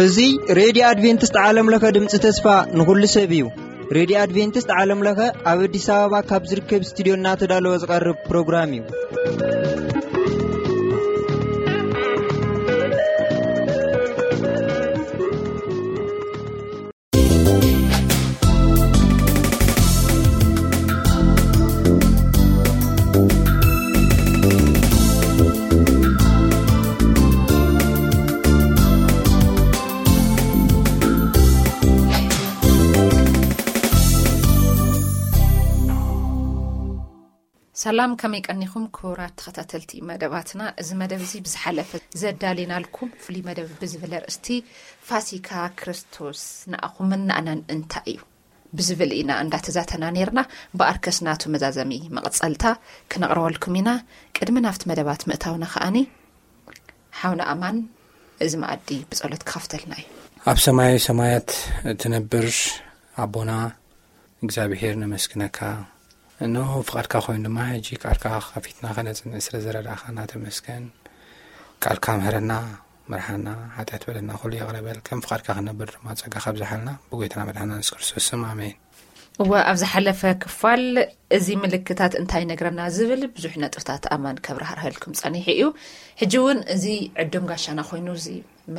እዚ ሬድዮ ኣድቬንቲስት ዓለም ለኸ ድምፂ ተስፋ ንኹሉ ሰብ እዩ። ሬድዮ ኣድቬንቲስት ዓለም ለኸ ኣብ ኣዲስ ኣበባ ካብ ዝርከብ ስቱዲዮ እናተዳለወ ዝቐርብ ፕሮግራም እዩ። ሰላም፣ ከመይ ቀኒኹም ክቡራት ተኸታተልቲ መደባትና? እዚ መደብ እዚ ብዝሓለፈ ዘዳሊናልኩም ፍሉይ መደብ ብዝብል ኣርእስቲ ፋሲካ ክርስቶስ ንኣኹምን ንኣናን እንታይ እዩ ብዝብል ኢና እንዳተዛተና ነይርና። ብኣርከስ ናቱ መዛዘሚ መቐጸልታ ክነቕርበልኩም ኢና። ቅድሚ ናብቲ መደባት ምእታውና ከኣኒ ሓውና ኣማን እዚ መኣዲ ብጸሎት ክኸፍተልና እዩ። ኣብ ሰማያዊ ሰማያት እትነብር ኣቦና እግዚኣብሔር ነመስግነካ። እነሆ ፍቓድካ ኮይኑ ድማ ሕጂ ቃልካ ከፊትና ከነጽንዕ ስለ ዝረዳእኻና ተመስገን። ቃልካ ምሕረና፣ ምርሓና፣ ሓጢኣት በደልና ኩሉ ይቕረ በል። ከም ፍቓድካ ክንነብር ድማ ጸጋ ካብዝሓልና ብጎይታና መድሓና የሱስ ክርስቶስ ስም ኣሜን። እወ፣ ኣብ ዝሓለፈ ክፋል እዚ ምልክታት እንታይ ይነግረና ዝብል ብዙሕ ነጥብታት ኣማን ከብራህርሀልኩም ጸኒሑ እዩ። ሕጂ እውን እዚ ዕዱም ጋሻና ኮይኑ እዚ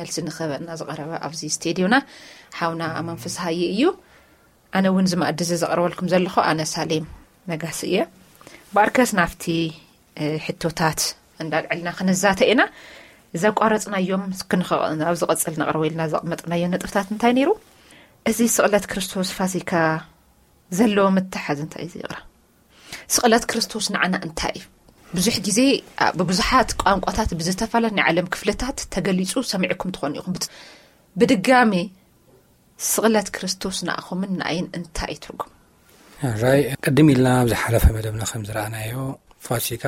መልሲ ንክህበና ዝቐረበ ኣብዚ ስቴድዮና ሓውና ኣማን ፍስሃየ እዩ። ኣነ እውን እዚ መኣዲ እዚ ዘቕርበልኩም ዘለኹ ኣነ ሳሌም ነጋሲ እየ። ብኣርከስ ናብቲ ሕቶታት እንዳልዕልና ክንዛተ ኢና። ዘቋረጽናዮም ክንኸ-፣ ኣብ ዝቐጽል ነቕርቦ ኢልና ዘቕመጥናዮ ነጥብታት እንታይ ነይሩ? እዚ ስቕለት ክርስቶስ ፋሲካ ዘለዎ ምትሓዝ እንታይ እዩ? ይቕረ፣ ስቕለት ክርስቶስ ንዓና እንታይ እዩ? ብዙሕ ግዜ፣ ኣ፣ ብብዙሓት ቋንቋታት ብዝተፈላለዩ ናይ ዓለም ክፍልታት ተገሊጹ ሰሚዕኩም ትኾኑ ኢኹም። ብት-፣ ብድጋሜ ስቕለት ክርስቶስ ንኣኹምን ንኣይን እንታይ እዩ ትርጉም? ራይ፣ ቅድም ኢልና ኣብ ዝሓለፈ መደብና ከም ዝረኣናዮ፣ ፋሲካ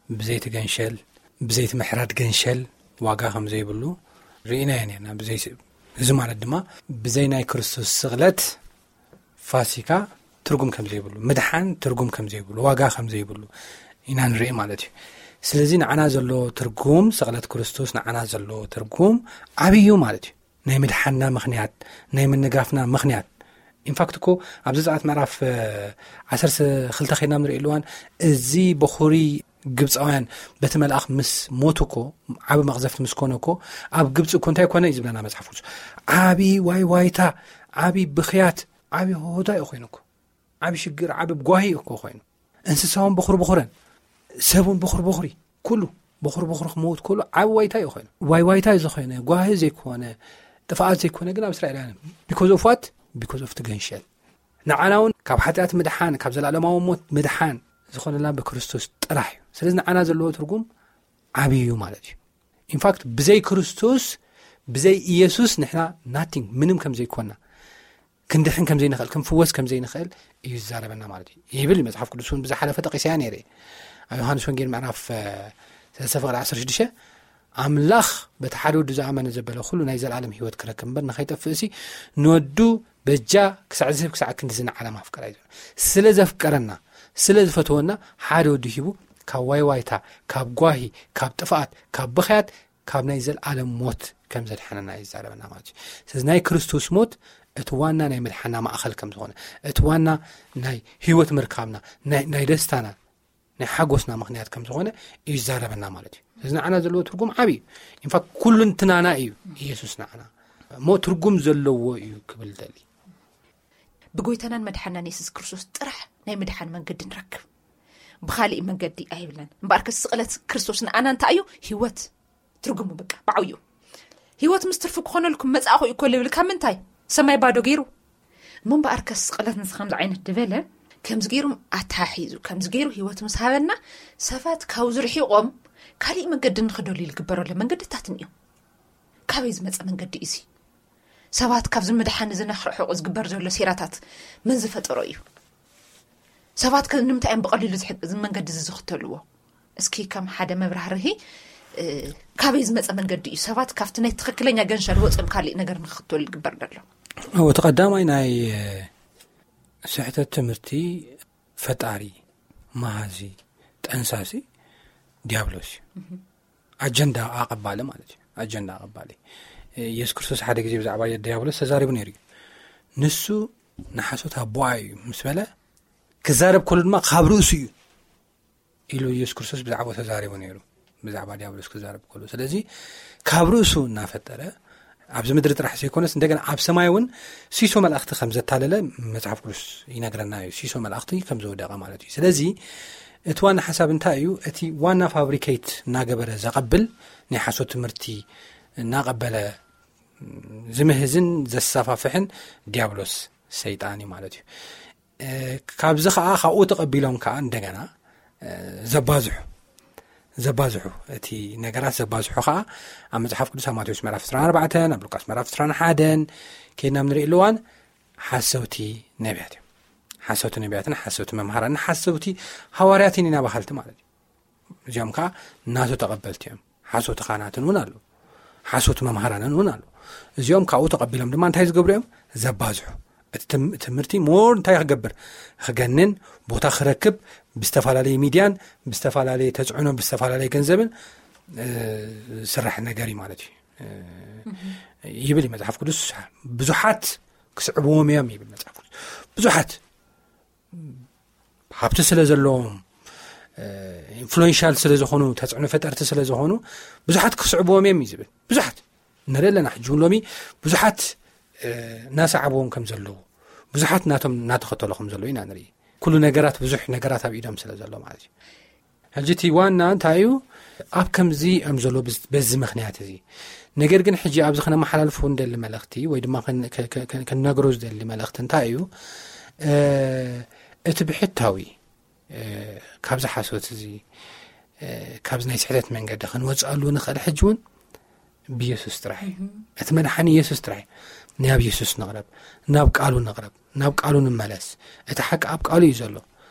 ብዘይቲ ገንሸል፣ ብዘይቲ ምሕራድ ገንሸል ዋጋ ከም ዘይብሉ ርኢናዮ ነርና። ብዘይ-፣ እዚ ማለት ድማ ብዘይ ናይ ክርስቶስ ስቕለት ፋሲካ ትርጉም ከም ዘይብሉ፣ ምድሓን ትርጉም ከም ዘይብሉ፣ ዋጋ ከም ዘይብሉ ኢና ንርኢ ማለት እዩ። ስለዚ ንዓና ዘሎ ትርጉም፣ ስቕለት ክርስቶስ ንዓና ዘሎ ትርጉም ዓብዩ ማለት እዩ። ናይ ምድሓንና ምኽንያት፣ ናይ ምንጋፍና ምኽንያት። ኢንፋክት እኮ ኣብ ዘጸኣት ምዕራፍ ዓሰርተ ክልተ ኸይድና ንርኢ ኣለዋን፣ እዚ በኹሪ ግብጻውያን በቲ መልኣኽ ምስ ሞቱ እኮ፣ ዓቢ መቕዘፍቲ ምስ ኮነ እኮ፣ ኣብ ግብጺ እኮ እንታይ ኮነ እዩ ዝብለና መጽሓፍ ቅዱስ? ዓቢ ዋይ ዋይታ፣ ዓቢ ብኽያት፣ ዓቢ ሆሆታ እዩ ኮይኑ እኮ። ዓቢ ሽግር፣ ዓቢ ጓሂ እኮ ኮይኑ። እንስሳውን በኹሪ በኹረን፣ ሰቡን በኹሪ በኹሪ፣ ኩሉ በኹሪ በኹሪ ክመውት ከሎ ዓቢ ዋይታ እዩ ኮይኑ። ዋይ ዋይታ እዩ ዝኾነ፣ ጓሂ ዘይኮነ፣ ጥፍኣት ዘይኮነ ግን ኣብ እስራኤላውያን። ቢኮዝ ኦፍ ዋት? ቢኮዝ ኦፍ ትገንሸል። ንዓና እውን ካብ ሓጢኣት ምድሓን፣ ካብ ዘለኣለማዊ ሞት ምድሓን ዝኾነና ብክርስቶስ ጥራሕ እዩ። ስለዚ ንዓና ዘለዎ ትርጉም ዓቢ እዩ ማለት እዩ። ኢንፋክት ብዘይ ክርስቶስ፣ ብዘይ ኢየሱስ ንሕና ናቲንግ፣ ምንም ከም ዘይኮና፣ ክንድሕን ከም ዘይንኽእል፣ ክንፍወስ ከም ዘይንኽእል እዩ ዝዛረበና ማለት እዩ። ይብል መጽሓፍ ቅዱስ እውን ብዝሓለፈ ጠቒሰያ ነይረ። ኣብ ዮሃንስ ወንጌል ምዕራፍ ሰለስተ ፍቕሪ ዓሰርተ ሽዱሽተ፣ ኣምላኽ በቲ ሓደ ወዱ ዝኣመነ ዘበለ ኩሉ ናይ ዘለኣለም ህይወት ክረክብ እምበር ንኸይጠፍእ ሲ፣ ንወዱ በጃ ክሳዕ ዝህብ ክሳዕ ክንድዚ ንዓለም ኣፍቀራ እዩ። ስለ ዘፍቀረና፣ ስለ ዝፈተወና ሓደ ወዱ ሂቡ ካብ ዋይዋይታ፣ ካብ ጓሂ፣ ካብ ጥፍኣት፣ ካብ ብኽያት፣ ካብ ናይ ዘለኣለም ሞት ከም ዘድሓነና እዩ ዝዛረበና ማለት እዩ። ስለዚ ናይ ክርስቶስ ሞት እቲ ዋና ናይ ምድሓና ማእኸል ከም ዝኾነ፣ እቲ ዋና ናይ ህይወት ምርካብና፣ ናይ፣ ናይ ደስታና፣ ናይ ሓጎስና ምኽንያት ከም ዝኾነ እዩ ዝዛረበና ማለት እዩ። ስለዚ ንዓና ዘለዎ ትርጉም ዓቢ እዩ። ኢንፋክት ኩሉ እንትናና እዩ ኢየሱስ ንዓና። እሞ ትርጉም ዘለዎ እዩ ክብል ደሊ። ብጎይታናን መድሓናን የሱስ ክርስቶስ ጥራሕ ናይ ምድሓን መንገዲ ንረክብ። ብኻሊእ መንገዲ ኣይብለን። እምበኣርከስ ስቕለት ክርስቶስ ንኣና እንታይ እዩ? ህይወት። ትርጉሙ በቃ ብዓብዩ። ህይወት ምስ ትርፊ ክኾነልኩም መጻእኹ እዩ እኮ ልብል ካብ ምንታይ? ሰማይ ባዶ ገይሩ። እሞ እምበኣርከስ ስቕለት ንዚ ከምዚ ዓይነት ድበለ፣ ከምዚ ገይሩ ኣተሓሒዙ፣ ከምዚ ገይሩ ህይወት ምስ ሃበና፣ ሰባት ካብዚ ርሒቖም ካሊእ መንገዲ ንኽደልዩ ዝግበረሉ መንገድታት እኒኦ። ካበይ ዝመጸ መንገዲ እዩ እዚ? ሰባት ካብዚ ምድሓን እዚ ንኽርሕቑ ዝግበር ዘሎ ሴራታት መን ዝፈጠሮ እዩ? ሰባት ከ ንምንታይ እዮም ብቐሊሉ ዝሕግ-፣ እዚ መንገዲ እዚ ዝኽተልዎ? እስኪ ከም ሓደ መብራህርሂ፣ እ፣ ካበይ ዝመጸ መንገዲ እዩ ሰባት ካብቲ ናይ ትኽክለኛ ገንሸል ወጺኦም ካሊእ ነገር ንኽኽተሉ ዝግበር ዘሎ? እዎ፣ እቲ ቀዳማይ ናይ፣ እ፣ ስሕተት ትምህርቲ ፈጣሪ መሃዚ፣ ጠንሳሲ ዲያብሎስ እዩ። ኣጀንዳ ኣቐባሊ ማለት እዩ። ኣጀንዳ ኣቐባሊ። የሱስ ክርስቶስ ሓደ ግዜ ብዛዕባ ዲያብሎስ ተዛሪቡ ነይሩ እዩ። ንሱ ንሓሶት ኣቦኣ እዩ ምስ በለ፣ ክዛረብ ከሉ ድማ ካብ ርእሱ እዩ ኢሉ የሱስ ክርስቶስ ብዛዕባ ተዛሪቡ ነይሩ፣ ብዛዕባ ዲያብሎስ ክዛረብ ከሉ። ስለዚ ካብ ርእሱ እናፈጠረ ኣብዚ ምድሪ ጥራሕ ዘይኮነስ እንደገና ኣብ ሰማይ እውን ሲሶ መላእኽቲ ከም ዘታለለ መጽሓፍ ቅዱስ ይነግረና እዩ። ሲሶ መላእኽቲ ከም ዝወደቐ ማለት እዩ። ስለዚ እቲ ዋና ሓሳብ እንታይ እዩ? እቲ ዋና ፋብሪኬት እናገበረ ዘቐብል፣ ናይ ሓሶት ትምህርቲ እናቐበለ ዝምህዝን ዘሳፋፍሕን ዲያብሎስ ሰይጣን እዩ ማለት እዩ። እ፣ ካብዚ ኸዓ ካብኡ ተቐቢሎም ከኣ እንደገና፣ እ፣ ዘባዝሑ፣ ዘባዝሑ፣ እቲ ነገራት ዘባዝሑ ኸዓ ኣብ መጽሓፍ ቅዱስ ኣብ ማቴዎስ ምዕራፍ ዕስራን ኣርባዕተን፣ ኣብ ሉቃስ ምዕራፍ ዕስራን ሓደን ከይድና ንርኢ ኣለዋን ሓሰውቲ ነቢያት እዮም። ሓሰውቲ ነቢያትን ሓሰውቲ መምሃራንን ሓሰውቲ ሃዋርያትን ኢና በሃልቲ ማለት እዩ። እዚኦም ከኣ ናቱ ተቐበልቲ እዮም። ሓሶት ካህናትን እውን ኣለዉ። ሓሶት መምሃራንን እውን ኣለዉ። እዚኦም ካብኡ ተቐቢሎም ድማ እንታይ ዝገብሩ እዮም? ዘባዝሑ። እቲ ትም-፣ ትምህርቲ ሞር እንታይ ክገብር? ክገንን፣ ቦታ ክረክብ፣ ብዝተፈላለየ ሚድያን፣ ብዝተፈላለየ ተጽዕኖ፣ ብዝተፈላለየ ገንዘብን፣ እ፣ ዝስራሕ ነገር እዩ ማለት እዩ። እ፣ ይብል እዩ መጽሓፍ ቅዱስ። ብዙሓት ክስዕብዎም እዮም ይብል መጽሓፍ ቅዱስ። ብዙሓት ሃብቲ ስለ ዘለዎም፣ እ፣ ኢንፍሉዌንሻል ስለ ዝኾኑ፣ ተጽዕኖ ፈጠርቲ ስለ ዝኾኑ ብዙሓት ክስዕብዎም እዮም እዩ ዝብል። ብዙሓት ንርኢ ኣለና። ሕጂ እውን ሎሚ ብዙሓት፣ እ፣ እናሰዓብዎም ከም ዘለዉ፣ ብዙሓት ናቶም እናተኸተሉ ከም ዘለዉ ኢና ንርኢ። ኩሉ ነገራት፣ ብዙሕ ነገራት ኣብ ኢዶም ስለ ዘሎ ማለት እዩ። ሕጂ እቲ ዋና እንታይ እዩ? ኣብ ከምዚ እዮም ዘሎ ብዝ-፣ በዚ ምኽንያት እዚ። ነገር ግን ሕጂ ኣብዚ ክነመሓላልፎ እንደሊ መልእኽቲ ወይ ድማ ከን-፣ ከ-፣ ከ-፣ ከ-፣ ከነግሮ ዝደሊ መልእኽቲ እንታይ እዩ? እ፣ እቲ ብሕታዊ፣ እ፣ ካብዚ ሓሶት እዚ፣ እ፣ ካብዚ ናይ ስሕተት መንገዲ ክንወጽኣሉ ንኽእል ሕጂ እውን ብየሱስ ጥራሕ እዩ። እቲ መድሓኒ የሱስ ጥራሕ እዩ። ናብ የሱስ ንቕረብ፣ ናብ ቃሉ ንቕረብ፣ ናብ ቃሉ ንመለስ። እቲ ሓቂ ኣብ ቃሉ እዩ ዘሎ።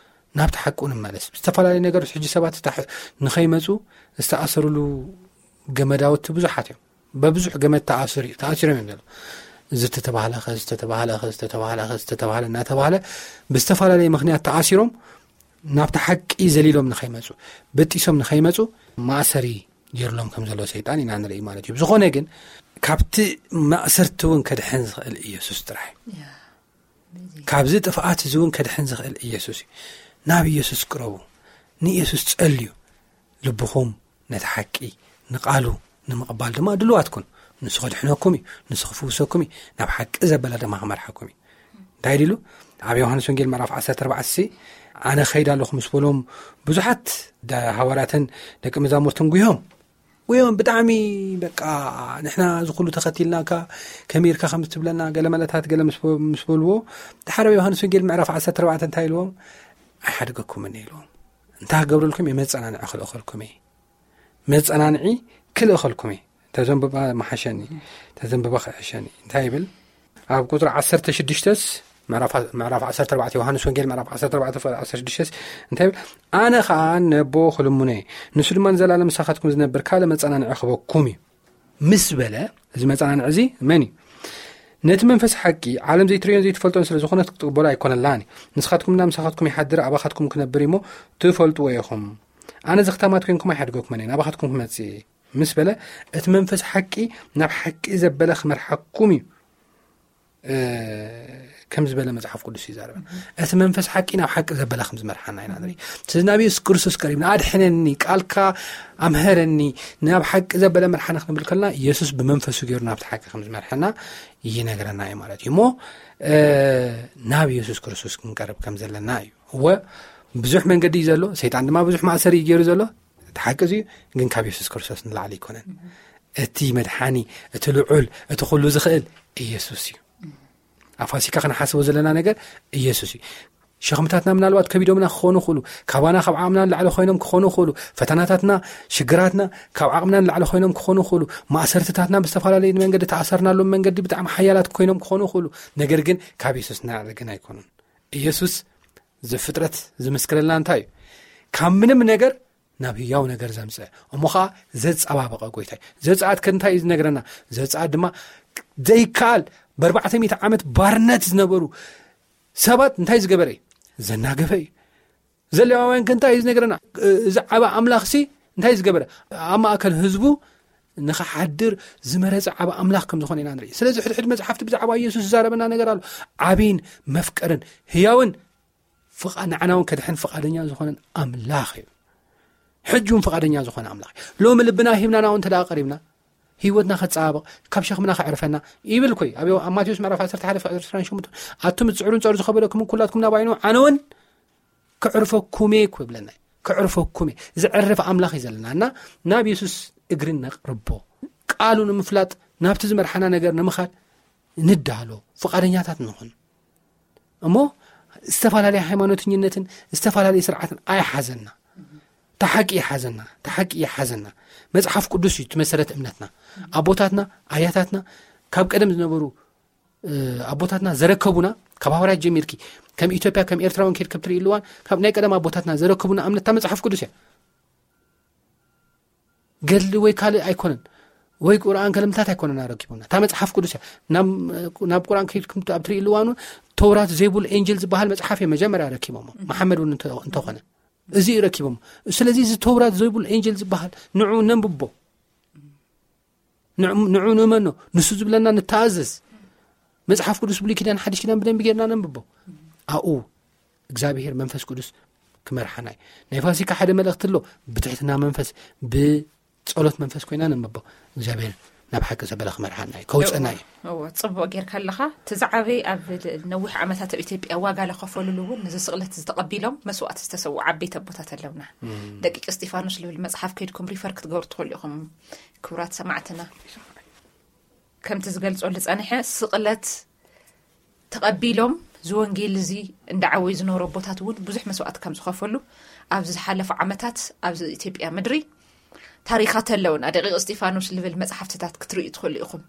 ናብቲ ሓቁ ንመለስ። ዝተፈላለዩ ነገሮች ሕጂ ሰባት ተታሕ-፣ ንኸይመጹ ዝተኣሰርሉ ገመዳውቲ ብዙሓት እዮም። በብዙሕ ገመድ ተኣስሪ-፣ ተኣሲሮም እዮም ዘለዉ። ዝተተባህለ ኸ፣ ዝተተባህለ ኸ፣ ዝተተባህለ ኸ፣ ዝተተባህለ እናተባህለ ብዝተፈላለየ ምኽንያት ተኣሲሮም ናብቲ ሓቂ ዘሊሎም ንኸይመጹ፣ በጢሶም ንኸይመጹ ማእሰሪ ገይርሎም ከም ዘሎ ሰይጣን ኢና ንርኢ ማለት እዩ። ብዝኾነ ግን ካብቲ ማእሰርቲ እውን ከድሕን ዝኽእል ኢየሱስ ጥራሕ እዩ። ያ፣ በዚ ካብዚ ጥፍኣት እዚ እውን ከድሕን ዝኽእል ኢየሱስ እዩ። ናብ ኢየሱስ ቅረቡ፣ ንኢየሱስ ጸልዩ። ልብኹም ነቲ ሓቂ፣ ንቓሉ ንምቕባል ድማ ድሉዋት ኩኑ። ንሱ ከድሕነኩም እዩ፣ ንሱ ክፍውሰኩም እዩ፣ ናብ ሓቂ ዘበለ ድማ ክመርሓኩም እዩ። እንታይ ኢሉ? ኣብ ዮሃንስ ወንጌል ምዕራፍ ዓሰርተ ኣርባዕተ ሲ፣ ኣነ ኸይድ ኣለኹ ምስ በሎም፣ ብዙሓት ደ-፣ ሃዋርያትን ደቂ መዛሙርትን ጉዮም። ጉዮም ብጣዕሚ በቃ፣ ንሕና እዚ ኩሉ ተኸቲልናካ፣ ከመይ ኢልካ ከም ትብለና፣ ገለ መለታት ገለ ምስ በ-፣ ምስ በልዎ፣ ድሓር ኣብ ዮሃንስ ወንጌል ምዕራፍ ዓሰርተ ኣርባዕተ እንታይ ኢልዎም? ኣይሓድገኩምን ኢልዎም። እንታይ ክገብረልኩም እየ? መጸናንዒ ክልእኸልኩም እየ። መጸናንዒ ክልእኸልኩም እየ። ተዘንብባ መሓሸኒ፣ ተዘንብባ ክሕሸኒ። እንታይ ይብል? ኣብ ቁጽሪ ዓሰርተ ሽዱሽተ ስ፣ ምዕራፍ፣ ምዕራፍ ዓሰርተ ኣርባዕተ፣ ዮሃንስ ወንጌል ምዕራፍ ዓሰርተ ኣርባዕተ ፍቕዲ ዓሰርተ ሽዱሽተ ስ እንታይ ይብል? ኣነ ኸኣ ነቦ ክልምኖ እየ፣ ንሱ ድማ ንዘለኣለም ምሳኻትኩም ዝነብር ካልእ መጸናንዒ ክበኩም እዩ። ምስ በለ፣ እዚ መጸናንዒ እዚ መን እዩ? ነቲ መንፈስ ሓቂ፣ ዓለም ዘይትርእዮን ዘይትፈልጦን ስለ ዝኾነት ክትቅበሎ ኣይኮነላን እዩ። ንስኻትኩም እና ምሳኻትኩም ይሓድር፣ ኣባኻትኩም ክነብር እሞ ትፈልጥዎ ኢኹም። ኣነ እዚ ኸታማት ኮይንኩም ኣይሓድገኩምን እየ፣ ናባኻትኩም ክመጽእ እየ። ምስ በለ፣ እቲ መንፈስ ሓቂ ናብ ሓቂ ዘበለ ክመርሓኩም እዩ፣ እ፣ ከም ዝበለ መጽሓፍ ቅዱስ ይዛረብ። እቲ መንፈስ ሓቂ ናብ ሓቂ ዘበለ ከም ዝመርሓና ኢና ንርኢ። ስለዚ ናብ የሱስ ክርስቶስ ቀሪብና፣ "ኣድሕነኒ፣ ቃልካ ኣምሀረኒ፣ ናብ ሓቂ ዘበለ መርሓኒ" ክንብል ከለና፣ የሱስ ብመንፈሱ ገይሩ ናብቲ ሓቂ ከም ዝመርሐና ይነግረና እዩ ማለት እዩ። እሞ፣ እ፣ ናብ የሱስ ክርስቶስ ክንቀርብ ከም ዘለና እዩ። እወ፣ ብዙሕ መንገዲ እዩ ዘሎ፣ ሰይጣን ድማ ብዙሕ ማእሰሪ እዩ ገይሩ ዘሎ። እቲ ሓቂ እዚ ግን ካብ የሱስ ክርስቶስ ንላዕሊ ኣይኮነን። እቲ መድሓኒ፣ እቲ ልዑል፣ እቲ ኩሉ ዝኽእል ኢየሱስ እዩ። ኣብ ፋሲካ ክንሓስቦ ዘለና ነገር ኢየሱስ እዩ። ሸኽምታትና ምናልባት ከቢዶምና ክኾኑ ይኽእሉ፣ ካባና ካብ ዓቕምና ንላዕሊ ኮይኖም ክኾኑ ይኽእሉ፣ ፈተናታትና፣ ሽግራትና ካብ ዓቕምና ንላዕሊ ኮይኖም ክኾኑ ይኽእሉ፣ ማእሰርትታትና ብዝተፈላለየ መንገዲ ተኣሰርናሎም መንገዲ ብጣዕሚ ሓያላት ኮይኖም ክኾኑ ይኽእሉ። ነገር ግን ካብ ኢየሱስ ንላዕሊ ግን ኣይኮኑን። ኢየሱስ ዘፍጥረት ዝምስክረልና እንታይ እዩ? ካብ ምንም ነገር ናብ ህያው ነገር ዘምጽእ፣ እሞ ኸዓ ዘጸባበቐ ጐይታ እዩ። ዘጸኣት ከ እንታይ እዩ ዝነግረና? ዘጸኣት ድማ ዘይከኣል፣ ብኣርባዕተ ሚእቲ ዓመት ባርነት ዝነበሩ ሰባት እንታይ ዝገበረ እዩ? ዘናገፈ እዩ። ዘሌዋውያን ከ እንታይ እዩ ዝነገረና? እዚ ዓባ ኣምላኽ ሲ እንታይ ዝገበረ? ኣብ ማእከል ህዝቡ ንኽሓድር ዝመረጸ ዓባ ኣምላኽ ከም ዝኾነ ኢና ንርኢ። ስለዚ ሕድሕድ መጽሓፍቲ ብዛዕባ ኢየሱስ ዝዛረበና ነገር ኣሎ። ዓብይን መፍቀርን ህያውን ፍቓ-፣ ንዓና እውን ከድሕን ፍቓደኛ ዝኾነን ኣምላኽ እዩ። ሕጂ እውን ፍቓደኛ ዝኾነ ኣምላኽ እዩ። ሎሚ ልብና ሂብና ናውን እንተ ደኣ ቀሪብና፣ ህይወትና ከጸባብቕ፣ ካብ ሸኽምና ከዕርፈና ይብል ኮይ። ኣብ፣ ኣብ ማቴዎስ ምዕራፍ ዓሰርተ ሓደ ፍቕዲ ዕስራን ሸሞንተን፣ ኣቱም ዝጽዕሩን ጸሩ ዝኸበደኩም ኩላትኩም ናባይ ኑ፣ ኣነ እውን ክዕርፈኩም እየ እኮ ይብለና እዩ። ክዕርፈኩም እየ። ዝዕርፍ ኣምላኽ እዩ ዘለና። እና ናብ የሱስ እግሪ ነቕርቦ። ቃሉ ንምፍላጥ፣ ናብቲ ዝመርሓና ነገር ንምኻድ ንዳሎ፣ ፍቓደኛታት ንኹን። እሞ ዝተፈላለየ ሃይማኖተኝነትን ዝተፈላለየ ስርዓትን ኣይሓዘና። ተሓቂ ይሓዘና፣ ተሓቂ ይሓዘና። መጽሓፍ ቅዱስ እዩ እቲ መሰረት እምነትና። ኣቦታትና፣ ኣያታትና፣ ካብ ቀደም ዝነበሩ፣ እ፣ ኣቦታትና ዘረከቡና፣ ካብ ሃዋርያት ጀሚርኪ፣ ከም ኢትዮጵያ፣ ከም ኤርትራ እውን ከይድ ከብትርኢ እልዋን፣ ካብ ናይ ቀደም ኣቦታትና ዘረከቡና እምነት እታ መጽሓፍ ቅዱስ እያ። ገድሊ ወይ ካልእ ኣይኮነን፣ ወይ ቁርኣን ከለምታት ኣይኮነን ኣረኪቡና። እታ መጽሓፍ ቅዱስ እያ። ናብ፣ ናብ ቁርኣን ከይድኩም ኣብ ትርእይሉ እዋን እውን ተውራት ዘይብሉ ኤንጀል ዝበሃል መጽሓፍ እዮም መጀመርያ ረኪቦሞ። መሓመድ እውን እንተ-፣ እንተኾነ እዚ እዩ ረኪቦሞ። ስለዚ እዚ ተውራት ዘይብሉ ኤንጀል ዝበሃል ንዑ ነንብቦ። ንዑ፣ ንዑ ንእመኖ። ንሱ ዝብለና ንተኣዘዝ። መጽሓፍ ቅዱስ ብሉይ ኪዳን ሓድሽ ኪዳን ብደንቢ ጌርና ነንብቦ። ኣብኡ እግዚኣብሔር መንፈስ ቅዱስ ክመርሓና እዩ። ናይ ፋሲካ ሓደ መልእኽቲ ኣሎ። ብትሕትና መንፈስ፣ ብጸሎት መንፈስ ኮይና ነንብቦ። እግዚኣብሔር ናብ ሓቂ ዘበለ ክመርሓና እዩ፣ ከውጽአና እዩ። እዎ፣ ጽቡቕ ጌርካ ኣለኻ። እቲ ዝዓበየ ኣብ ነዊሕ ዓመታት ኣብ ኢትዮጵያ ዋጋ ለኸፈልሉ እውን ነዚ ስቕለት ዝተቐቢሎም መስዋእቲ ዝተሰውኡ ዓበይቲ ኣቦታት ኣለውና። ደቂቅ እስጢፋኖስ ልብል መጽሓፍ ከይድኩም ሪፈር ክትገብሩ ትኽእሉ ኢኹም። ክቡራት ሰማዕትና፣ ከምቲ ዝገልጾ ዝጸንሐ ስቕለት ተቐቢሎም እዚ ወንጌል እዚ እንዳዓወዩ ዝነበሩ ኣቦታት እውን ብዙሕ መስዋእቲ ከም ዝኸፈሉ ኣብዚ ዝሓለፉ ዓመታት ኣብዚ ኢትዮጵያ ምድሪ ታሪኻት ኣለውና። ደቂቅ እስጢፋኖስ ልብል መጽሓፍትታት ክትርእዩ ትኽእሉ ኢኹም።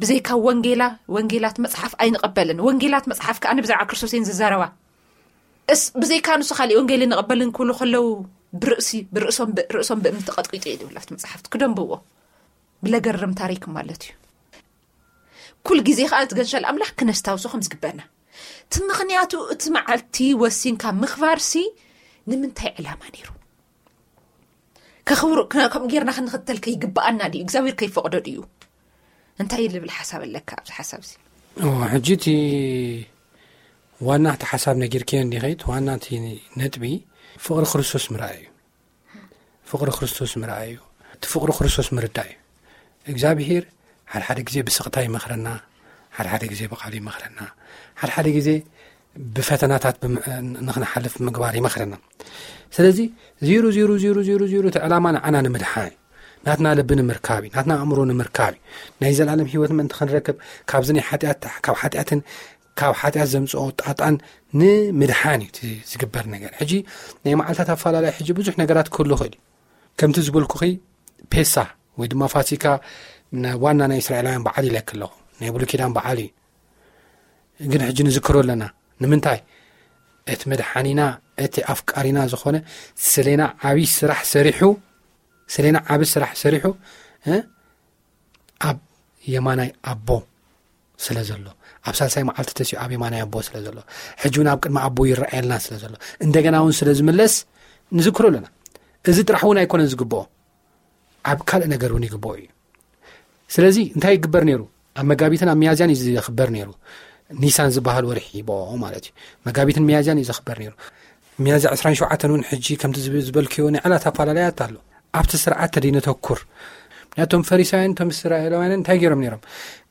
ብዘይካ ወንጌላ፣ ወንጌላት መጽሓፍ ኣይንቐበልን። ወንጌላት መጽሓፍ ከኣ ብዛዕባ ክርስቶስ እየን ዝዛረባ። እስ-፣ ብዘይካ ንሱ ካሊእ ወንጌል ንቐበልን ክብሉ ከለዉ ብርእሲ፣ ብርእሶም፣ ብርእሶም ብእምኒ ተቐጥቂጡ እዩ ዝብል ኣብቲ መጽሓፍቲ። ክደንብዎ። ብለገርም ታሪክ ማለት እዩ። ኩል ግዜ ከኣ እቲ ገንሸል ኣምላኽ ክነስታውሶ ከም ዝግበና። እቲ ምኽንያቱ እቲ መዓልቲ ወሲንካ ምኽባርሲ ንምንታይ ዕላማ ነይሩ? ከኽብሩ-፣ ከ-፣ ከምኡ ጌርና ክንኽተል ከይግብኣና ድዩ? እግዚኣብሔር ከይፈቕዶ ድዩ? እንታይ ልብል ሓሳብ ኣለካ ኣብዚ ሓሳብ እዚ? እዎ፣ ሕጂ እቲ ዋና እቲ ሓሳብ ነጊርክዮ እንዲኺ፣ እቲ ዋና እቲ ነጥቢ ፍቕሪ ክርስቶስ ምርኣይ እዩ። ፍቕሪ ክርስቶስ ምርኣይ እዩ። እቲ ፍቕሪ ክርስቶስ ምርዳእ እዩ። እግዚኣብሄር ሓደ ሓደ ግዜ ብስቕታ ይመኽረና፣ ሓደ ሓደ ግዜ ብቓሉ ይመኽረና፣ ሓደ ሓደ ግዜ ብፈተናታት ብም-፣ ንኽንሓልፍ ምግባር ይመኽረና። ስለዚ ዜሮ፣ ዜሮ፣ ዜሮ፣ ዜሮ፣ ዜሮ እቲ ዕላማ ንዓና ንምድሓን እዩ። ናትና ልቢ ንምርካብ እዩ። ናትና ኣእምሮ ንምርካብ እዩ። ናይ ዘላለም ህይወት ምእንቲ ክንረክብ ካብዚ ናይ ሓጢኣት፣ ካብ ሓጢኣትን ካብ ሓጢኣት ዘምጽኦ ጣጣን ንምድሓን እዩ እቲ ዝግበር ነገር። ሕጂ ናይ መዓልታት ኣፈላላይ ሕጂ ብዙሕ ነገራት ክህሉ ይኽእል እዩ። ከምቲ ዝበልኩኺ ፔሳ ወይ ድማ ፋሲካ ን-፣ ዋና ናይ እስራኤላውያን በዓል ኢለኪ ኣለኹ። ናይ ብሉይ ኪዳን በዓል እዩ። ግን ሕጂ ንዝክሮ ኣለና። ንምንታይ? እቲ መድሓኒና፣ እቲ ኣፍቃሪና ዝኾነ ስሌና ዓብዪ ስራሕ ሰሪሑ፣ ስሌና ዓቢ ስራሕ ሰሪሑ፣ እ፣ ኣብ የማናይ ኣቦ ስለ ዘሎ፣ ኣብ ሳልሳይ መዓልቲ ተሲኡ ኣብ የማናይ ኣቦ ስለ ዘሎ፣ ሕጂ እውን ኣብ ቅድሚ ኣቦ ይረኣየልና ስለ ዘሎ፣ እንደገና እውን ስለ ዝምለስ ንዝክሮ ኣለና። እዚ ጥራሕ እውን ኣይኮነን ዝግብኦ፣ ኣብ ካልእ ነገር እውን ይግብኦ እዩ። ስለዚ እንታይ ይግበር ነይሩ? ኣብ መጋቢትን ኣብ ሚያዝያን እዩ ዝኽበር ነይሩ። ኒሳን ዝበሃል ወርሒ ይብኦ ማለት እዩ። መጋቢትን ሚያዝያን እዩ ዝኽበር ነይሩ። ሚያዝያ ዕስራን ሸውዓተን እውን ሕጂ ከምቲ ዝብ-፣ ዝበልክዮ ናይ ዕላት ኣፈላለያት ኣሎ። ኣብቲ ስርዓት ተደይነተኩር። ምክንያቱ እቶም ፈሪሳውያን፣ እቶም እስራኤላውያንን እንታይ ገይሮም ነይሮም?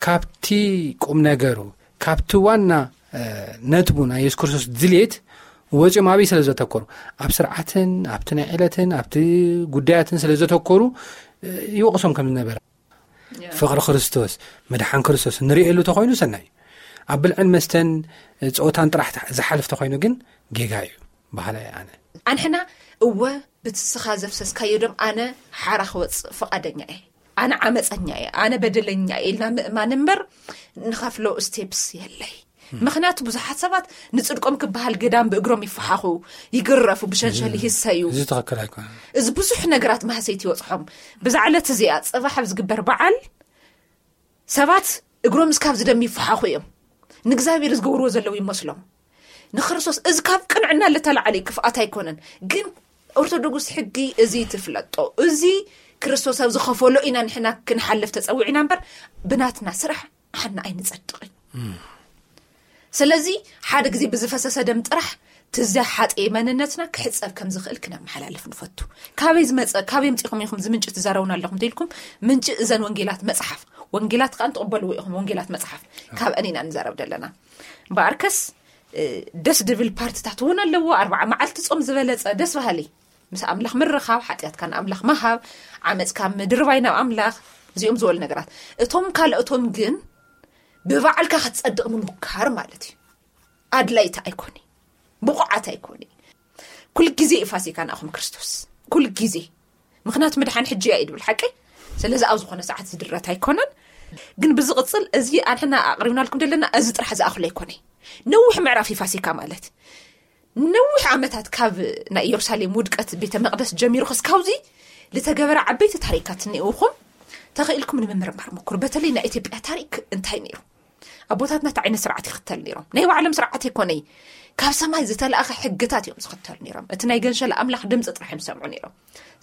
ካብቲ ቁም ነገሩ፣ ካብቲ ዋና፣ እ፣ ነጥቡ ናይ የሱስ ክርስቶስ ድልየት ወፂኦም ኣበይ ስለ ዘተኮሩ? ኣብ ስርዓትን፣ ኣብቲ ናይ ዕለትን፣ ኣብቲ ጉዳያትን ስለ ዘተኮሩ፣ እ፣ ይወቕሶም ከም ዝነበረ። ያ። ፍቕሪ ክርስቶስ፣ ምድሓን ክርስቶስ ንርእየሉ ተኾይኑ ሰናይ እዩ። ኣብ ብልዕን መስተን፣ እ፣ ጸወታን ጥራሕ ተ-፣ ዝሓልፍ ተኾይኑ ግን ጌጋ እዩ በሃላይ እየ ኣነ። ኣንሕና እወ ብትስኻ ዘፍሰስካዮ ደም ኣነ ሓራ ክወጽእ ፍቓደኛ እየ፣ ኣነ ዓመጸኛ እየ፣ ኣነ በደለኛ እየ ኢልና ምእማን እምበር ንኸፍሎ ስቴፕስ የለይ። ምኽንያቱ ብዙሓት ሰባት ንጽድቆም ክበሃል ገዳም ብእግሮም ይፈሓኹ፣ ይግረፉ፣ ብሸንሸል ይህሰዩ። እዚ ትኽክል ኣይኮነን። እዚ ብዙሕ ነገራት ማህሰይቲ ይበጽሖም። ብዛ ዕለት እዚኣ ጽባሕ ኣብ ዝግበር በዓል ሰባት እግሮም እስካብ ዝደም ይፈሓኹ እዮም። ንእግዚኣብሔር ዝገብርዎ ዘለዉ ይመስሎም። ንክርስቶስ። እዚ ካብ ቅንዕና ልተላዓለ ክፍኣት ኣይኮነን። ግን ኦርቶዶክስ ሕጊ እዚ ትፍለጦ፣ እዚ ክርስቶስ ኣብ ዝኸፈሎ ኢና ንሕና ክንሓልፍ ተጸዊዕና እምበር፣ ብናትና ስራሕ ሓና ኣይንጸድቕን። ስለዚ ሓደ ግዜ ብዝፈሰሰ ደም ጥራሕ ትዘሓጠየ መንነትና ክሕጸብ ከም ዝኽእል ክነመሓላልፍ ንፈቱ። ካበይ ዝመጸ፣ ካበይ ምጺኹም ኢኹም ዝምንጭ ትዛረቡና ኣለኹም ተኢልኩም? ምንጭ እዘን ወንጌላት መጽሓፍ፣ ወንጌላት ከኣ ትቕበልዎ ኢኹም። ወንጌላት መጽሓፍ ካብ እኔና ንዛረብ ዘለና። እምበኣርከስ ደስ ድብል ፓርትታት እውን ኣለዎ። ኣርባዓ መዓልቲ ጾም ዝበለጸ ደስ በሃሊ፣ ምስ ኣምላኽ ምርኻብ፣ ሓጢኣትካ ንኣምላኽ ምሃብ፣ ዓመፅካ ምድርባይ ናብ ኣምላኽ፣ እዚኦም ዝበሉ ነገራት። እቶም ካልኦቶም ግን ብባዕልካ ክትጸድቕ ምሙካር ማለት እዩ። ኣድላይቲ ኣይኮነ፣ ብቑዓት ኣይኮነ። ኩል ግዜ እዩ ፋሲካ ንኣኹም ክርስቶስ፣ ኩል ግዜ። ምኽንያቱ ምድሓን ሕጂ እያ እዩ ድብል ሓቂ። ስለዚ ኣብ ዝኾነ ሰዓት ዝድረት ኣይኮነን። ግን ብዝቕጽል እዚ ኣንሕና ኣቕሪብናልኩም ዘለና እዚ ጥራሕ ዝኣኽሎ ኣይኮነ። ነዊሕ ምዕራፍ እዩ ፋሲካ ማለት። ነዊሕ ዓመታት ካብ ናይ ኢየሩሳሌም ውድቀት ቤተ መቕደስ ጀሚሩ ክስካውዚ ልተገበረ ዓበይቲ ታሪካት እኒእውኹም ተኽኢልኩም ንምምርማር ምኩር። በተለይ ናይ ኢትዮጵያ ታሪክ እንታይ ነይሩ? ኣቦታትና እንታይ ዓይነት ስርዓት ይኽተል ነይሮም? ናይ ባዕሎም ስርዓት ኣይኮነይ፣ ካብ ሰማይ ዝተላእኸ ሕግታት እዮም ዝኽተሉ ነይሮም። እቲ ናይ ገንሸል ኣምላኽ ድምፂ ጥራሕ እዮም ዝሰምዑ ነይሮም።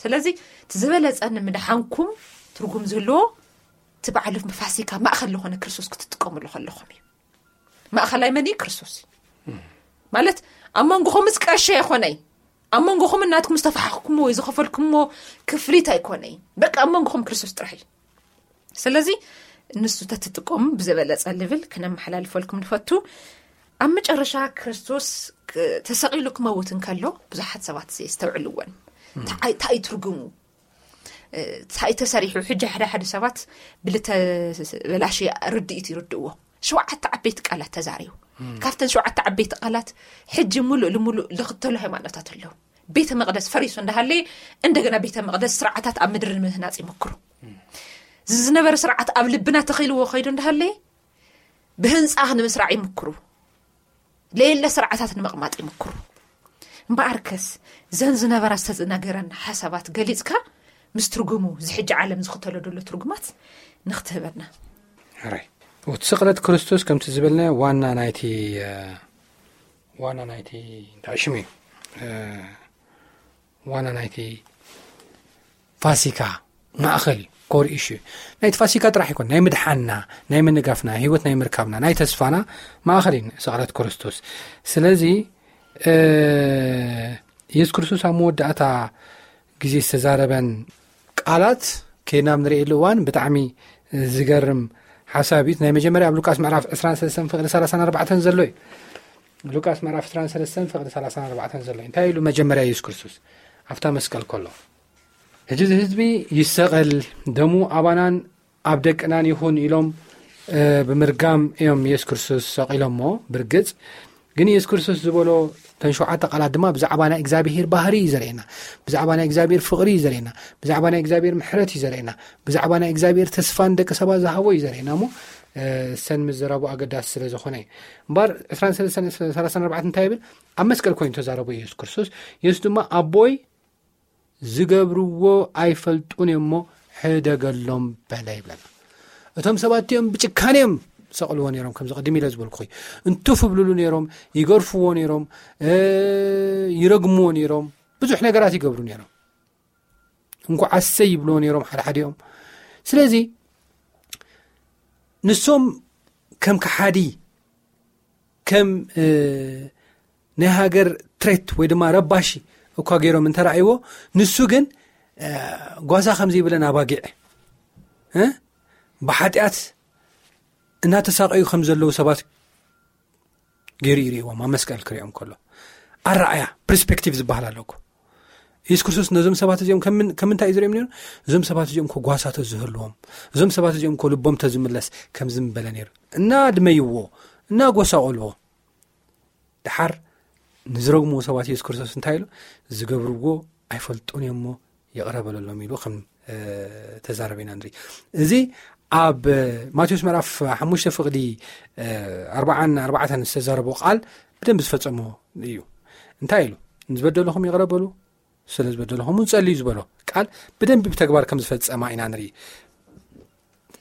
ስለዚ እቲ ዝበለፀ ንምድሓንኩም ትርጉም ዝህልዎ እቲ ባዕሉ ፋሲካ ማእኸል ዝኾነ ክርስቶስ ክትጥቀምሉ ከለኹም እዩ። ማእኸላይ መን እዩ? ክርስቶስ እዩ። ማለት ኣብ መንጎኹምስ ቀሸ ኣይኮነይ፣ ኣብ መንጎኹም እናትኩም ዝተፈሓኽኩምዎ ወይ ዝኸፈልኩምዎ ክፍሊት ኣይኮነይ። በቃ ኣብ መንጎኹም ክርስቶስ ጥራሕ እዩ። ስለዚ ንሱ ተትጥቀሙ ብዝበለጸ ልብል ክነመሓላልፈልኩም ንፈቱ። ኣብ መጨረሻ ክርስቶስ ክ- ተሰቒሉ ክመውት እንከሎ ብዙሓት ሰባት የስተውዕልዎን። እንታይ እንታይ እዩ ትርጉሙ? እንታይ ተሰሪሑ? ሕጂ ሓደ ሓደ ሰባት ብልተበላሸ ርድኢት ይርድእዎ። ሸውዓተ ዓበይቲ ቃላት ተዛሪቡ። ካብተን ሸውዓተ ዓበይቲ ቃላት ሕጂ ሙሉእ ልሙሉእ ልኽተሉ ሃይማኖታት ኣለዉ። ቤተ መቕደስ ፈሪሱ እንዳሃለየ እንደገና ቤተ መቕደስ ስርዓታት ኣብ ምድሪ ንምህናፅ ይመክሩ። እዚ ዝነበረ ስርዓት ኣብ ልብና ተኺልዎ ከይዱ እንዳሃለየ ብህንፃ ንምስራዕ ይምክሩ። ለየለ ስርዓታት ንምቕማጥ ይምክሩ። እምበኣርከስ ዘን ዝነበራ ዝተነገረን ሓሳባት ገሊፅካ ምስ ትርጉሙ እዚ ሕጂ ዓለም ዝኽተሎ ዘሎ ትርጉማት ንክትህበና። ሕራይ። እቲ ስቕለት ክርስቶስ ከምቲ ዝበልና ዋና ናይቲ ዋና ናይቲ እንታይ ሽሙ እዩ? ዋና ናይቲ ፋሲካ ማእኸል እዩ። ኮር ኢሹ ናይቲ ፋሲካ ጥራሕ ይኮን፣ ናይ ምድሓና፣ ናይ ምንጋፍና፣ ህይወት ናይ ምርካብና፣ ናይ ተስፋና ማእኸል እዩ ስቕለት ክርስቶስ። ስለዚ የሱስ ክርስቶስ ኣብ መወዳእታ ግዜ ዝተዛረበን ቃላት ከይድና ኣብ ንርእየሉ እዋን ብጣዕሚ ዝገርም ሓሳብ እዩ። ናይ መጀመርያ ኣብ ሉቃስ ምዕራፍ ዕስራን ሰለስተን ፍቕዲ ሰላሳን ኣርባዕተን ዘሎ እዩ። ሉቃስ ምዕራፍ ዕስራን ሰለስተን ፍቕዲ ሰላሳን ኣርባዕተን ዘሎ እዩ። እንታይ ኢሉ መጀመርያ የሱስ ክርስቶስ ኣብታ መስቀል ከሎ? ሕጂ እዚ ህዝቢ ይሰቐል፣ ደሙ ኣባናን ኣብ ደቅናን ይኹን ኢሎም ብምርጋም እዮም የሱስ ክርስቶስ ሰቒሎሞ። ብርግጽ ግን የሱስ ክርስቶስ ዝበሎ እተን ሸውዓተ ቃላት ድማ ብዛዕባ ናይ እግዚኣብሄር ባህሪ እዩ ዘርእየና፣ ብዛዕባ ናይ እግዚኣብሄር ፍቕሪ እዩ ዘርእየና፣ ብዛዕባ ናይ እግዚኣብሄር ምሕረት እዩ ዘርእየና፣ ብዛዕባ ናይ እግዚኣብሄር ተስፋ ንደቂ ሰባት ዝሃቦ እዩ ዘርእየና። እሞ ሰን ምዝራቡ ኣገዳሲ ስለ ዝኾነ እዩ። እምበር ዕስራን ሰለስተን ሰላሳን ኣርባዕተን እንታይ ይብል? ኣብ መስቀል ኮይኑ ተዛረቡ የሱስ ክርስቶስ። የሱስ ድማ ኣቦይ ዝገብርዎ ኣይፈልጡን እዮም እሞ ሕደገሎም በለ ይብለና። እቶም ሰባት እዮም ብጭካኔ እዮም ሰቕልዎ ነይሮም፣ ከምዚ ቅድም ኢለ ዝበልኩ እንትፍ ብልሉ ነይሮም፣ ይገርፍዎ ነይሮም፣ ይረግምዎ ነይሮም፣ ብዙሕ ነገራት ይገብሩ ነይሮም። እንኳዕ ኣሰይ ይብልዎ ነይሮም ሓደ ሓዲኦም። ስለዚ ንሶም ከም ከሓዲ ከም ናይ ሃገር ትሬት ወይ ድማ ረባሺ እኳ ገይሮም እንተረኣይዎ፣ ንሱ ግን ጓሳ ከም ዘይብለን ኣባጊዕ ብሓጢኣት እናተሳቀዩ ከም ዘለዉ ሰባት ገይሩ ይርእዎም ኣብ መስቀል ክሪኦም ከሎ። ኣረኣያ ፕርስፔክቲቭ ዝበሃል ኣለኩ። የሱስ ክርስቶስ ነዞም ሰባት እዚኦም ከም ምንታይ እዩ ዝርእዮም ነይሩ? እዞም ሰባት እዚኦም ኮ ጓሳ ተዝህልዎም፣ እዞም ሰባት እዚኦም ኮ ልቦም ተዝምለስ ከም ዝምበለ ነይሩ። እናድመይዎ፣ እናጎሳቆልዎ፣ ድሓር ንዝረግምዎ ሰባት የሱስ ክርስቶስ እንታይ ኢሉ? ዝገብርዎ ኣይፈልጡን እዮም እሞ ይቕረ በለሎም ኢሉ ከም ተዛረበ ኢና ንርኢ። እዚ ኣብ ማቴዎስ ምዕራፍ ሓሙሽተ ፍቕዲ ኣርባዓን ኣርባዕተን ዝተዛረቦ ቃል ብደንብ ዝፈጸሞ እዩ። እንታይ ኢሉ? ንዝበደልኹም ይቕረ በሉ፣ ስለ ዝበደልኹም እውን ጸልዩ ዝበሎ ቃል ብደንብ ብተግባር ከም ዝፈጸማ ኢና ንርኢ።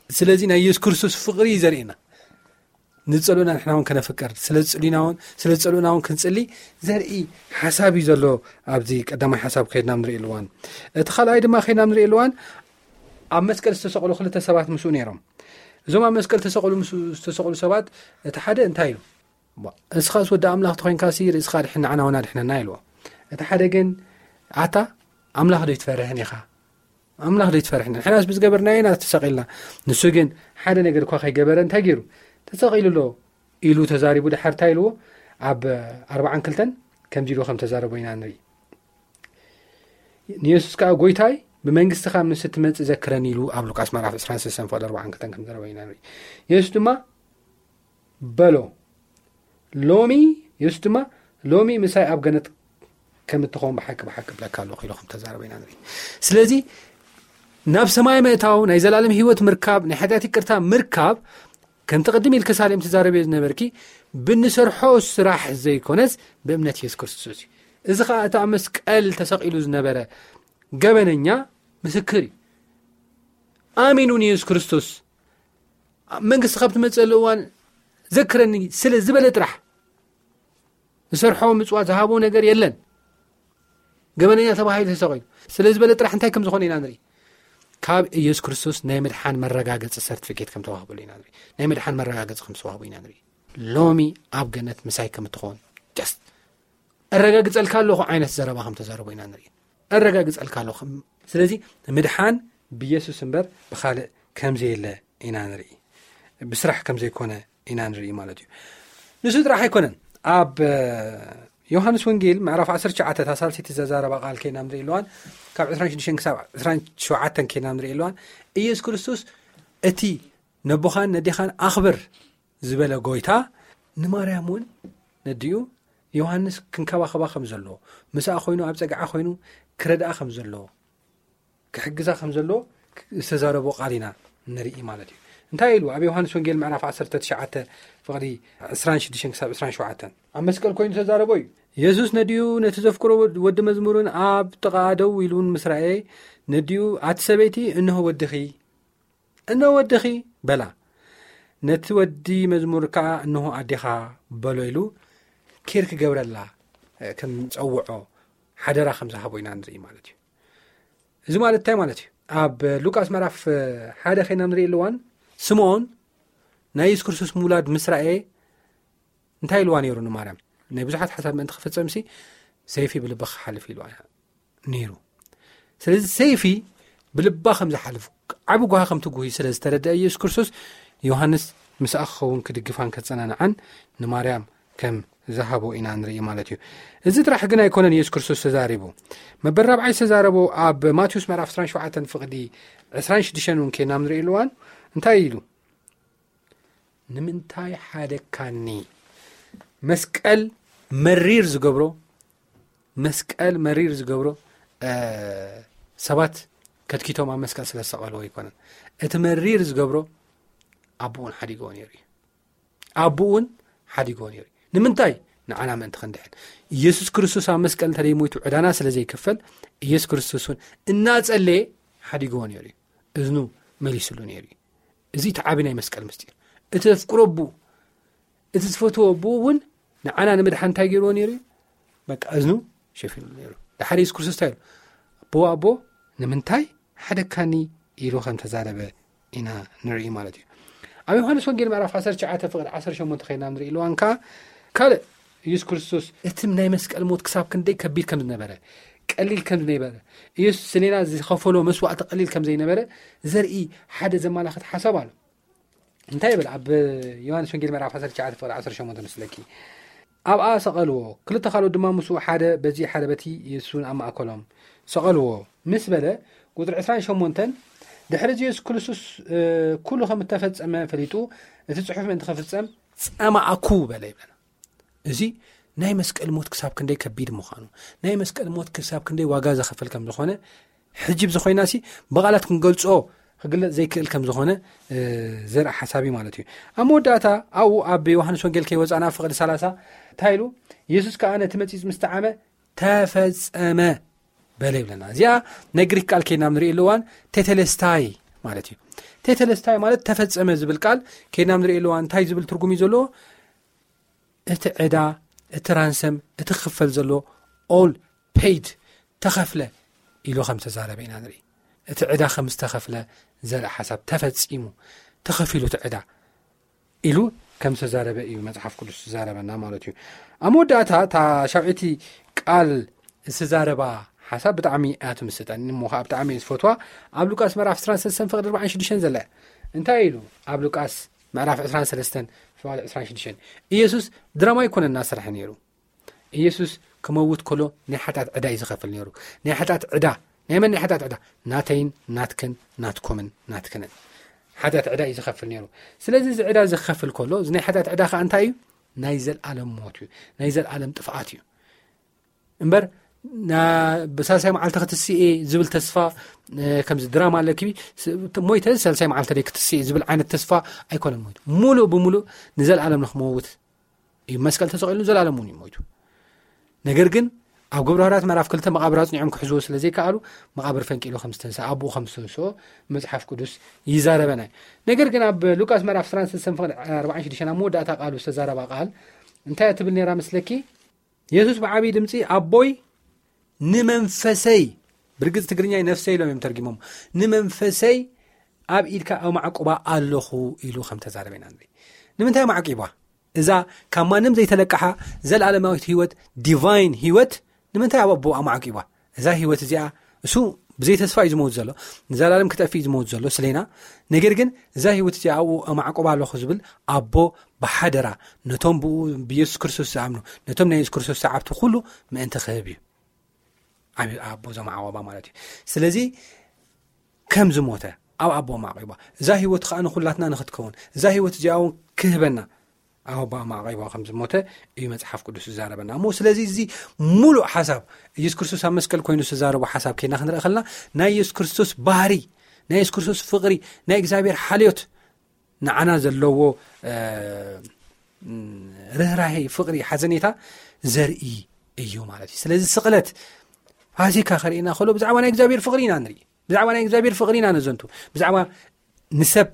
ስለዚ ናይ የሱስ ክርስቶስ ፍቕሪ እዩ ዘርእየና። ንጸልኡና ንሕና እውን ከነፍቅር፣ ስለ ዝጽሉና እውን፣ ስለ ዝጸልኡና እውን ክንጽሊ ዘርኢ ሓሳብ እዩ ዘሎ። ኣብዚ ቀዳማይ ሓሳብ ከይድና ንርኢ ኣለዋን። እቲ ካልኣይ ድማ ከይድና ንርኢ ኣለዋን፣ ኣብ መስቀል ዝተሰቕሉ ክልተ ሰባት ምስኡ ነይሮም። እዞም ኣብ መስቀል ተሰቕሉ ምስ ዝተሰቕሉ ሰባት እቲ ሓደ እንታይ ኢሉ? "እባ፣ እስኻስ ወዲ ኣምላኽ ተኾይንካሲ ርእስኻ ድሕን፣ ንዓና እውን ኣድሕነና" ኢልዎ። እቲ ሓደ ግን፣ "ኣታ ኣምላኽ ዶ ይትፈርሕን ኢኻ? ኣምላኽ ዶ ይትፈርሕን? ንሕናስ ብዝገበርናዮ ኢና ተሰቒልና። ንሱ ግን ሓደ ነገር እኳ ከይገበረ እንታይ ገይሩ? ተሰቒሉ ኣሎ" ኢሉ ተዛሪቡ። ድሓር እንታይ ኢልዎ? ኣብ ኣርባዓን ክልተን ከምዚ ኢሉ ከም ተዛረቦ ኢና ንርኢ። ንየሱስ ከኣ፣ "ጎይታይ፣ ብመንግስትኻ ምስ እትመጽእ ዘክረኒ" ኢሉ ኣብ ሉቃስ ምዕራፍ ዕስራን ሰለስተን ፍቕዲ ኣርባዓን ክልተን ከም ዘረበ ኢና ንርኢ። የሱስ ድማ በሎ፣ "ሎሚ"፣ የሱስ ድማ፣ "ሎሚ ምሳይ ኣብ ገነት ከም እትኸውን ብሓቂ ብሓቂ እብለካ ኣለኹ" ኢሉ ከም ተዛረበ ኢና ንርኢ። ስለዚ ናብ ሰማይ ምእታው፣ ናይ ዘላለም ህይወት ምርካብ፣ ናይ ሓጢኣት ይቅርታ ምርካብ፣ ከምቲ ቅድም ኢልከ ሳሌም ትዛረብዮ ዝነበርኪ፣ ብንሰርሖ ስራሕ ዘይኮነስ ብእምነት የሱስ ክርስቶስ እዩ። እዚ ኸኣ እቲ ኣብ መስቀል ተሰቒሉ ዝነበረ ገበነኛ ምስክር እዩ። ኣሚኑ ንየሱስ ክርስቶስ፣ "ኣብ መንግስቲ ካብ ትመጽእ እዋን ዘክረኒ" ስለ ዝበለ ጥራሕ፣ ዝሰርሖ ምጽዋት ዝሃቦ ነገር የለን። ገበነኛ ተባሂሉ ተሰቒሉ ስለ ዝበለ ጥራሕ እንታይ ከም ዝኾነ ኢና ንርኢ። ካብ ኢየሱስ ክርስቶስ ናይ ምድሓን መረጋገጺ ሰርቲፊኬት ከም ተዋህበሉ ኢና ንርኢ። ናይ ምድሓን መረጋገጺ ከም ዝተዋህቦ ኢና ንርኢ። "ሎሚ ኣብ ገነት ምሳይ ከም እትኾን ጀስት እረጋግጸልካ ኣለኹ" ዓይነት ዘረባ ከም ተዛረቦ ኢና ንርኢ። "እረጋግጸልካ ኣለኹ" ከም-፣ ስለዚ ምድሓን ብኢየሱስ እምበር ብኻልእ ከም ዘየለ ኢና ንርኢ። ብስራሕ ከም ዘይኮነ ኢና ንርኢ ማለት እዩ። ንሱ ጥራሕ ኣይኮነን። ኣብ፣ እ፣ ዮሃንስ ወንጌል ምዕራፍ ዓሰርተ ትሽዓተ፣ እታ ሳልሰይቲ ዘዛረባ ቃል ከይና ንርኢ ኣለዋን፣ ካብ ዕስራን ሽዱሽተን ክሳብ ዕስራን ሸውዓተን ከይና ንርኢ ኣለዋን፣ ኢየሱስ ክርስቶስ እቲ "ነቦኻን ነዴኻን ኣኽብር" ዝበለ ጎይታ፣ ንማርያም እውን ነዲኡ ዮሃንስ ክንከባኸባ ከም ዘለዎ፣ ምስኣ ኮይኑ ኣብ ጸግዓ ኮይኑ ክረድኣ ከም ዘለዎ፣ ክሕግዛ ከም ዘለዎ ዝተዛረቦ ቃል ኢና ንርኢ ማለት እዩ። እንታይ ኢሉ ኣብ ዮሃንስ ወንጌል ምዕራፍ ዓሰርተ ትሽዓተ ፍቕዲ ዕስራን ሽዱሽተን ክሳብ ዕስራን ሸውዓተን ኣብ መስቀል ኮይኑ ተዛረቦ እዩ። የሱስ ነዲኡ ነቲ ዘፍቅሮ ወድ-፣ ወዲ መዝሙርን ኣብ ጥቓ ደው ኢሉን ምስ ረኣየ፣ ነዲኡ፣ "ኣቲ ሰበይቲ፣ እንሆ ወድኺ፣ እንሆ ወድኺ" በላ። ነቲ ወዲ መዝሙር ከኣ፣ "እንሆ ኣዴኻ" በሎ ኢሉ ኬር ክገብረላ፣ እ፣ ከም ጸውዖ ሓደራ ከም ዝሃቦ ኢና ንርኢ ማለት እዩ። እዚ ማለት እንታይ ማለት እዩ? ኣብ ሉቃስ ምዕራፍ ሓደ ኸይና ንርኢ ኣለዋን፣ ስምዖን ናይ የሱስ ክርስቶስ ምውላድ ምስ ረኣየ እንታይ ኢልዋ ነይሩ ንማርያም? ናይ ብዙሓት ሓሳብ ምእንቲ ክፍጸምሲ ሰይፊ ብልብኻ ክሓልፍ ኢልዋ ነይሩ። ስለዚ ሰይፊ ብልባ ከም ዝሓልፍ፣ ዓቢ ጓሂ ከም ትጉሂ ስለ ዝተረድአ ኢየሱስ ክርስቶስ፣ ዮሃንስ ምስኣ ክኸውን ክድግፋን ከጸናንዓን ንማርያም ከም ዝሃቦ ኢና ንርኢ ማለት እዩ። እዚ ጥራሕ ግን ኣይኮነን ኢየሱስ ክርስቶስ ተዛሪቡ። መበል ራብዓይ ዝተዛረቦ ኣብ ማቴዎስ ምዕራፍ ዕስራን ሸውዓተን ፍቕዲ ዕስራን ሽዱሽተን እውን ኬና ንርኢ ኣለዋን እንታይ ኢሉ? "ንምንታይ ሓደካኒ?" መስቀል መሪር ዝገብሮ፣ መስቀል መሪር ዝገብሮ፣ እ፣ ሰባት ከትኪቶም ኣብ መስቀል ስለ ዝሰቐልዎ ኣይኮነን። እቲ መሪር ዝገብሮ ኣቦኡን ሓዲግዎ ነይሩ እዩ። ኣቦኡን ሓዲግዎ ነይሩ እዩ። ንምንታይ? ንዓና ምእንቲ ክንድሕን። ኢየሱስ ክርስቶስ ኣብ መስቀል እንተ ደይሞይቱ ዕዳና ስለ ዘይክፈል፣ ኢየሱስ ክርስቶስ እውን እናጸለየ ሓዲግዎ ነይሩ እዩ። እዝኑ መሊስሉ ነይሩ እዩ። እዚ እቲ ዓቢ ናይ መስቀል ምስጢር። እቲ ዘፍቅሮ ኣቦኡ፣ እቲ ዝፈትዎ ኣቦኡ እውን ንዓና ንምድሓን እንታይ ገይርዎ ነይሩ እዩ? በቃ እዝኑ ሸፊኑ ነይሩ። ድሓር ኢየሱስ ክርስቶስ እንታይ ኢሉ? "ኣቦ፣ ኣቦ፣ ንምንታይ ሓደካኒ?" ኢሉ ከም ተዛረበ ኢና ንርኢ ማለት እዩ። ኣብ ዮሃንስ ወንጌል ምዕራፍ ዓሰርተ ትሽዓተ ፍቕዲ ዓሰርተ ሸሞንተ ኸይና ንርኢ ኣለዋን ከኣ ካልእ ኢየሱስ ክርስቶስ እቲ ናይ መስቀል ሞት ክሳብ ክንደይ ከቢድ ከም ዝነበረ፣ ቀሊል ከም ዝነበረ፣ ኢየሱስ ስሌና ዝኸፈሎ መስዋዕቲ ቀሊል ከም ዘይነበረ ዘርኢ ሓደ ዘመላኽት ሓሳብ ኣሎ። እንታይ ይብል? ኣብ ዮሃንስ ወንጌል ምዕራፍ ዓሰርተ ትሽዓተ ፍቕዲ ዓሰርተ ሸሞንተ ምስለኪ፣ "ኣብኣ ሰቐልዎ፣ ክልተ ካልኦት ድማ ምስኡ፣ ሓደ በዚ ሓደ በቲ፣ ኢየሱስ እውን ኣብ ማእከሎም ሰቐልዎ" ምስ በለ፣ ቁጽሪ ዕስራን ሸሞንተን፣ ድሕሪ እዚ ኢየሱስ ክርስቶስ፣ እ፣ ኩሉ ከም እተፈጸመ ፈሊጡ፣ እቲ ጽሑፍ ምእንቲ ክፍጸም፣ "ጸማእኩ" በለ ይብለና። እዚ ናይ መስቀል ሞት ክሳብ ክንደይ ከቢድ ምዃኑ፣ ናይ መስቀል ሞት ክሳብ ክንደይ ዋጋ ዘኸፈል ከም ዝኾነ፣ ሕጂ ብዝኾይናሲ ብቓላት ክንገልጾ ክግለጽ ዘይክእል ከም ዝኾነ፣ እ፣ ዘርኢ ሓሳብ እዩ ማለት እዩ። ኣብ መወዳእታ ኣብኡ ኣብ ዮሃንስ ወንጌል ከይወጻና ፍቕዲ ሰላሳ እንታይ ኢሉ? "ኢየሱስ ከኣ ነቲ መጺጽ ምስ ጠዓመ፣ ተፈጸመ" በለ ይብለና። እዚኣ ናይ ግሪክ ቃል ከይድና ንርኢ ኣለዋን ቴቴሌስታይ ማለት እዩ። ቴተለስታይ ማለት ተፈጸመ ዝብል ቃል ከይድና ንርኢ ኣለዋ። እንታይ ዝብል ትርጉም እዩ ዘለዎ? እቲ ዕዳ፣ እቲ ራንሰም፣ እቲ ክፈል ዘሎ all paid፣ ተኸፍለ ኢሉ ከም ዝተዛረበ ኢና ንርኢ። እቲ ዕዳ ከም ዝተኸፍለ ዘርኢ ሓሳብ፣ ተፈጺሙ፣ ተኸፊሉ እቲ ዕዳ ኢሉ ከም ዝተዛረበ እዩ መጽሓፍ ቅዱስ ዝዛረበና ማለት እዩ። ኣብ መወዳእታ እታ ሻውዒቲ ቃል ዝተዛረባ ሓሳብ ብጣዕሚ እያ ትምስጠኒ፣ እሞ ከዓ ብጣዕሚ እየ ዝፈትዋ። ኣብ ሉቃስ ምዕራፍ ዕስራን ሰለስተን ፍቕዲ ኣርባዓን ሽዱሽተን ዘለ እንታይ ኢሉ? ኣብ ሉቃስ ምዕራፍ ዕስራን ሰለስተን ፍቕዲ ዕስራን ሽዱሽተን፣ ኢየሱስ ድራማ ኣይኮነን እናሰርሐ ነይሩ። ኢየሱስ ክመውት ከሎ ናይ ሓጢኣት ዕዳ እዩ ዝኸፍል ነይሩ። ናይ ሓጢኣት ዕዳ፣ ናይ መን ናይ ሓጢኣት ዕዳ? ናተይን ናትክን ናትኩምን ናትክንን ሓጢኣት ዕዳ እዩ ዝኸፍል ነይሩ። ስለዚ እዚ ዕዳ ዝኸፍል ከሎ፣ እዚ ናይ ሓጢኣት ዕዳ ከዓ እንታይ እዩ? ናይ ዘልኣለም ሞት እዩ፣ ናይ ዘልኣለም ጥፍኣት እዩ። እምበር ና-፣ ብሳልሳይ መዓልቲ ክትስኤ ዝብል ተስፋ፣ እ፣ ከምዚ ድራማ ኣለኪ፣ ስ-፣ ሞይተ ሳልሳይ መዓልቲ ደይ ክትስኤ ዝብል ዓይነት ተስፋ ኣይኮነን ሞይቱ። ሙሉእ ብሙሉእ ንዘልኣለም ንክመውት እዩ መስቀል ተሰቒሉ፣ ዘላለም እውን እዩ ሞይቱ። ነገር ግን ኣብ ግብረ ሃዋርያት ምዕራፍ ክልተ መቓብር ኣጽኒዖም ክሕዝዎ ስለ ዘይከኣሉ፣ መቓብር ፈንቂሉ ከም ዝተንስኣ፣ ኣቦኡ ከም ዝተንስኦ መጽሓፍ ቅዱስ ይዛረበና እዩ። ነገር ግን ኣብ ሉቃስ ምዕራፍ ዕስራን ሰለስተን ፍቕዲ ኣርባዓን ሽዱሽተን ኣብ መወዳእታ ቃሉ ዝተዛረባ ቃል እንታይ እያ ትብል ነይራ መስለኪ? የሱስ ብዓብዪ ድምጺ፣ "ኣቦይ፣ ንመንፈሰይ"፣ ብርግጽ ትግርኛ ነፍሰይ ኢሎም እዮም ተርጊሞም፣ "ንመንፈሰይ ኣብ ኢድካ ኣማዕቁባ ኣለኹ" ኢሉ ከም ተዛረበ ኢና ንርኢ። ንምንታይ ኣማዕቂባ? እዛ ካብ ማንም ዘይተለቅሓ ዘላለማዊት ህይወት፣ ዲቫይን ህይወት፣ ንምንታይ ኣብ ኣቦ ኣማዕቂባ? እዛ ህይወት እዚኣ እሱ ብዘይ ተስፋ እዩ ዝመውት ዘሎ፣ ንዘላለም ክጠፍእ እዩ ዝመውት ዘሎ ስሌና። ነገር ግን እዛ ህይወት እዚኣ ኣብኡ ኣማዕቁባ ኣለኹ ዝብል ኣቦ ብሓደራ ነቶም ብኡ፣ ብየሱስ ክርስቶስ ዝኣምኑ፣ ነቶም ናይ የሱስ ክርስቶስ ሰዓብቲ ኩሉ ምእንቲ ክህብ እዩ። ዓቢ ኣቦ ዘማዕቆባ ማለት እዩ። ስለዚ ከም ዝሞተ ኣብ ኣቦ ኣማዕቂባ፣ እዛ ህይወት ከዓ ንኩላትና ንክትከውን፣ እዛ ህይወት እዚኣ እውን ክህበና ኣብ ኣቦ ኣማዕቂባ ከም ዝሞተ እዩ መጽሓፍ ቅዱስ ዝዛረበና። እሞ ስለዚ እዚ ሙሉእ ሓሳብ፣ ኢየሱስ ክርስቶስ ኣብ መስቀል ኮይኑ ዝተዛረቦ ሓሳብ ከይና ክንርኢ ከለና፣ ናይ ኢየሱስ ክርስቶስ ባህሪ፣ ናይ ኢየሱስ ክርስቶስ ፍቕሪ፣ ናይ እግዚኣብሔር ሓልዮት፣ ንዓና ዘለዎ፣ እ፣ ርህራሄ፣ ፍቕሪ፣ ሓዘኔታ ዘርኢ እዩ ማለት እዩ። ስለዚ ስቕለት ፋሲካ ከርእየና ከሎ ብዛዕባ ናይ እግዚኣብሔር ፍቕሪ ኢና ንርኢ። ብዛዕባ ናይ እግዚኣብሔር ፍቕሪ ኢና ነዘንቱ። ብዛዕባ ንሰብ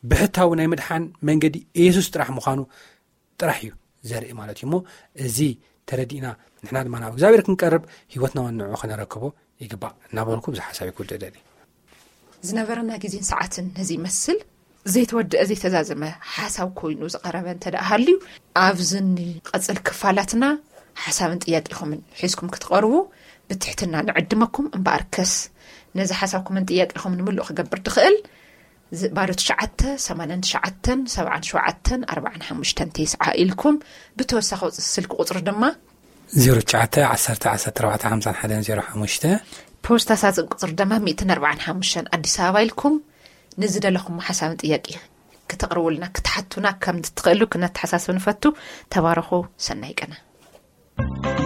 ብሕታዊ ናይ ምድሓን መንገዲ ኢየሱስ ጥራሕ ምዃኑ ጥራሕ እዩ ዘርኢ ማለት እዩ። እሞ እዚ ተረዲእና ንሕና ድማ ናብ እግዚኣብሔር ክንቀርብ ህይወትና ወንዑ ክነረክቦ ይግባእ እናበልኩ ብዙሕ ሓሳብ ይክውድእ ደሊ። ዝነበረና ግዜን ሰዓትን ነዚ ይመስል። ዘይተወደአ ዘይተዛዘመ ሓሳብ ኮይኑ ዝቐረበ እንተ ደኣ ሃልዩ፣ ኣብዚ ንቐጽል ክፋላትና ሓሳብን ጥያቄኹምን ሒዝኩም ክትቐርቡ ብትሕትና ንዕድመኩም። እምበኣርከስ ነዚ ሓሳብኩምን ጥያቄኹምን ምሉእ ክገብር ድኽእል፣ ዝ-፣ ባዶ ትሽዓተ፣ ሰማንያን ትሽዓተን፣ ሰብዓን ሸውዓተን፣ ኣርባዓን ሓሙሽተን፣ ተስዓ ኢልኩም ብተወሳኺ ቁጽ-፣ ስልኪ ቁጽሪ ድማ ዜሮ ትሽዓተ፣ ዓሰርተ፣ ዓሰርተ ኣርባዕተ፣ ሓምሳን ሓደን፣ ዜሮ ሓሙሽተ። ፖስታ ሳጥን ቁጽሪ ድማ ሚእትን ኣርባዓን ሓሙሽተን ኣዲስ ኣበባ ኢልኩም ንዝደለኹም ሓሳብን ጥያቄ ክተቕርቡልና፣ ክትሓቱና ከም እትኽእሉ ክነተሓሳስብ ንፈቱ። ተባረኹ። ሰናይ ቀነ።